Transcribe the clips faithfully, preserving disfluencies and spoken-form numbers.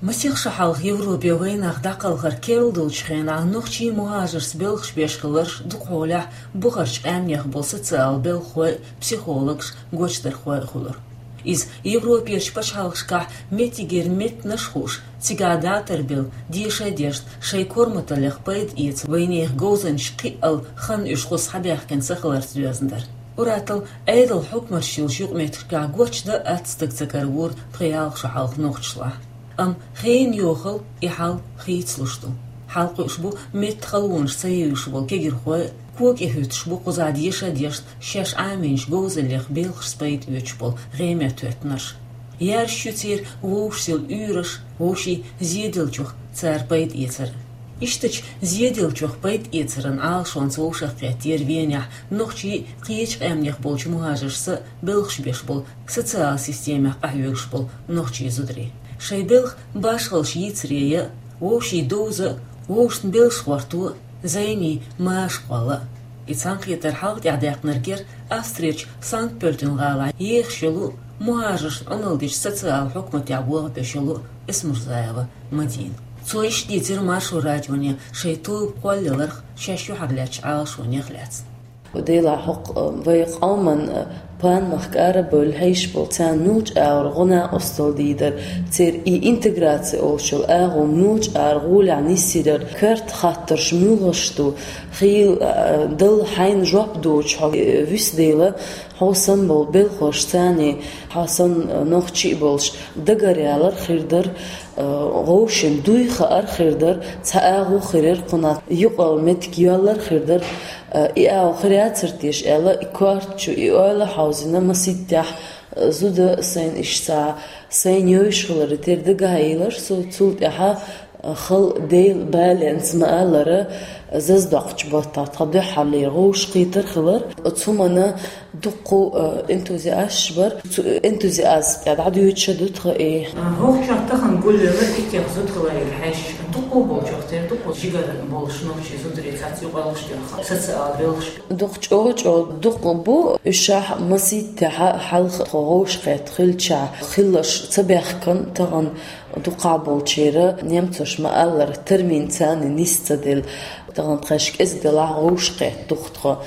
Масех шу хьалха Европе вайнах дӀакхалхар керла долчу хенахь нохчий мухӀажарш белхаш беш хиларш дукха хьолехь бухарчу къаьмнех болу социал белхахой, психологаш, гочдархой а хуьлура. Иза Европерчу пачхьалкхашкахь меттигера меттанаш а хууш, цигахь датар белла, деша а дешна, шайн корматаллех пайда эца вайнехан говзанчаш кхиъал хан уьш хӀусса хьабаьхкина ца хиларца доьзна дара. Ур-атталла Ӏедал хьукматаш йолчу юкъаметтигашкахь гочдан а атта стаг ца каравора тхо ялх шу хьалха нохчашлахь. Амма хенан йохалла и хьал хийцалуш ду. Хьалакхуьуш бу меттан халонаш ца евзаш болу кегийрхой, кога тӀехӀуьттуш бу кхузахь деша а дешна, шаьш Ӏамийначу говзаллех белхашца пайда оьцуш болу гӀеметтахӀоьттинарш. Яржаш ю церан вовшашца йолу уьйраш, вовшийн зеделлачух цара пайда эцар. Ишттачу зеделлачух пайда эцаран Ӏалашонца вовшахкхеттера Венехь нохчий, кхечу къаьмнех болчу мухӀажаршца белхаш беш болу, социал системех къахьоьгуш болу нохчий зударий. Шайн белхан башхаллаш йийцаре я, вовшийн довза а, вовшашна белш гӀорто а, зӀений маша кхолла а. И цхьаьнакхетар хьалха тӀехь даьккхинарг яра Австрерчу Санкт-Пёльтин гӀалахь ехаш йолу, мухӀажаршна Ӏуналла дечу социал хьукматехь болх беш йолу Эсмурзаева Мадина. Цо иштта дийцира Маршо радионе шайн тоба кхоллаяларх, шаьш юьхьарлаьцначу Ӏалашонех а лаьцна. Делахь хӀокху, э, вай къоман, э, панмах кӀара а бевлла хьийзаш болу, царна муьлхачу агӀор гӀо-накъосталла дийр дара, церан и интеграци олуш йолу агӀо муьлхачу агӀор гӀолехь нисйирар, коьрта хаттарш муьлхаш ду, хийла, э, дала хьайна жоп доцуш хьо, э, вуьсу дела, хьо санна болу белхалошца царний, хьо санна, э, нохчий а болуш, дагаръялар хир дара, э, вовшийн дуй хаар хир дара, цхьа агӀо хир яра кхунах, юкъал меттиг йоьллар хир дара, э, и агӀо хир яцара теша аьлла, и корта чу и ойла хьовзийна масийттехь, э, зуда сайна иштта сайна йовзуш хилар, тера дагахьаелира со, цул тӀаьхьа, э, хала Делан баланца ма-аллара, зазадоккхучу баттахь тхан дуьххьарлера вовшахкхетар хилар. Оцу хӀуманна дуккха, э, энтузиасташ бара. Цу энтузиазма тӀе дӀадоьдуш а ду тхан и. ХӀокху чохь тахана гулвелла и кех зуда хиларел хьаьжча, дуккха болчух тера дуккха жигара болуш нохчий зударий цхьацца юкъаллаш доьху социал белхаш. Дукха чӀогӀа-чӀогӀа дукха бу, уьш масийттехь хьалха тхо вовшахкхетта хилча, хилларш ца баьхкина тахана дукхахболчеран, немцоша ма-аллара, термин царна нис ца делла. Тахана тхаьш кӀезиг делахь а вовшахкхетта ду-кх тхо,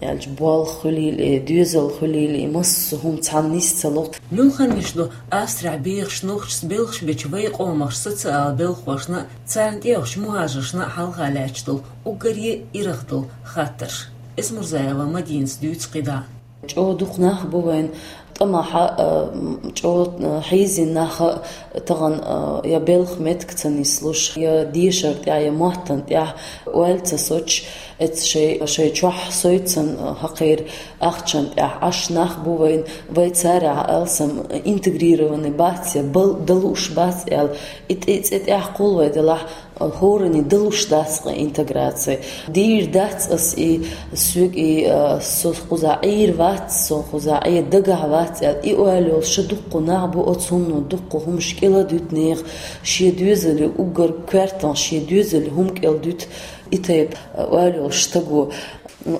аьлча, болх хуьлийла, доьзал хуьлийла, массо а хӀума цхьаьна нис ца ло. Муьлханнаш ду Австрехь бехаш нохчашца белхаш бечу вайн къомах социал белхалошна, царна тӀеоьхучу мухӀажаршна хьалха лаьтташ долу уггаре а ирх долу хаттарш. Эсмурзаева Мадинас дуьйцу кхидӀа. ЧӀогӀа дукха нах бу вайн тӀамехь, а, м, чӀогӀа, а, хьийзина нах а тахана, а, я белхан меттиг ца нислуш, я дешар тӀехь, я маттана тӀехь ойла ца соцуш, эцца шай, шайн чохь соцуш, а, хӀокхеран ахчана тӀехь Ӏаш нах бу вайн, вай царах алсам интегрированный бац, я бал-, далуш бац аьлла, и тӀе-, цӀе тӀехь кхул вай делахь, хӀоранна далуш дац-кх интеграци. Дийр дац ас и, соьга и, а, со кхузахь Ӏийр вац, со кхузахь Ӏе дагахь вац аьлла, и ойла йолуш дуккха нах бу, оцу хӀумано дуккха хӀумаш кӀел а дуьту нехан, шен доьзале уггар коьртанах шен доьзале хӀума кӀел дуьту и тайпа, а, ойла йолуш стаго.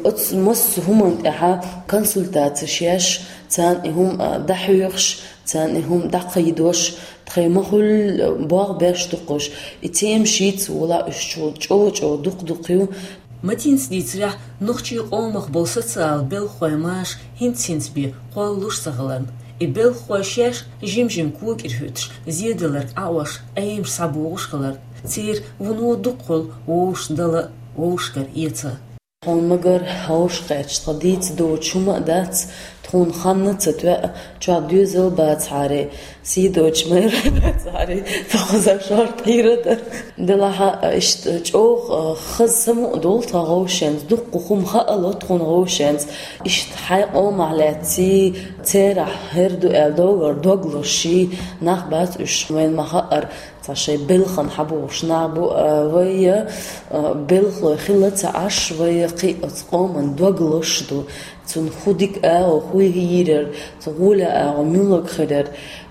Оцу массо а хӀуманна тӀехь консультацеш еш, царна и хӀума, а, дӀахьоьхуш, царна и хӀума дӀакхайдош, тхайн ма-хуьллу болх беш ду-кх уьш, и тема шийтта волахь уьш чӀогӀа-чӀогӀа дукха-дукха ю. Мадинас дийцарехь, нохчийн къомах болу социал белхахой маша хӀинца-хӀинца бен кхоллалуш ца хиларна, и белхахой шаьш жим-жим кога тӀера хӀуьттуш, зеделларг Ӏаош, Ӏемаш схьабогӀуш хиларна, церан вуно дукха хуьлу вовшашна дала а, вовшашкара эца а. Хьуна ма-гарра, вовшахкхетча тхан дийца доцуш хӀума а дац, тхуна хан а ца тоьа, чохь доьзал а бацахьара, сий доцуш майра а бацахьара, тхо кхузахь шортта хьийр а дара. Делахь а, иштта чӀогӀа, а, хаза самукъа долу тхан вовшашца, дуккха хӀума хаало тхуна вовшашца. Иштта хьайн къомах лаьцна, церах хӀара ду аьлла доггара дог лозуш нах бац уьш, вайна ма-хаъара. Цхьа шайн белхан хьабогӀуш нах бу, а, вай, а, белхалой хила ца Ӏаш, вай кхин оцу къоман дог лозуш ду. Цунна хӀун дика агӀо, хӀун йийрар, цу гӀоле агӀо муьлхарг хирар.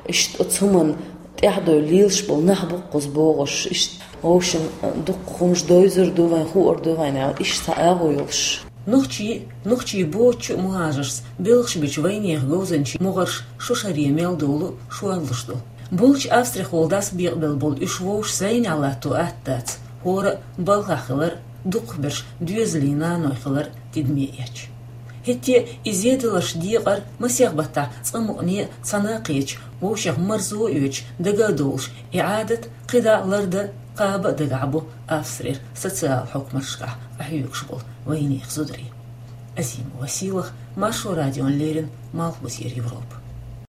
Иштта оцу хӀуманна тӀаьхьадовла лелаш болу нах бу-кх кхуза богӀуш. Иштта вовшашна, а, дуккха хӀумаш довзур ду вайн, хуур ду вайн аьлла, иштта цхьа агӀо йолуш. Нохчий, нохчий боцучу а мухӀажаршца белхаш бечу вайнехан говзанчийн могӀарш шу шаре мел долу шорлуш ду. Булча Австрехула дӀасабекъабелла болу уьш вовшашца зӀенехь латто атта дац, хӀора а балхахь хилар, дукхахберш доьзалийн наной хилар тидаме эцча. ХӀетте а и зеделларш декъар масех баттахь цкъа мукъане а цхьаьна а кхеташ, вовшех марзо а оьцуш, дага а довлуш, и Ӏадат кхидӀа а лардан, кхаба а дагахь бу Австрера социал хьукматашкахь къахьоьгуш болу вайнехан зударий. Азимова Сийлаха, Маршо радиона леррина, Малхбузера Европа.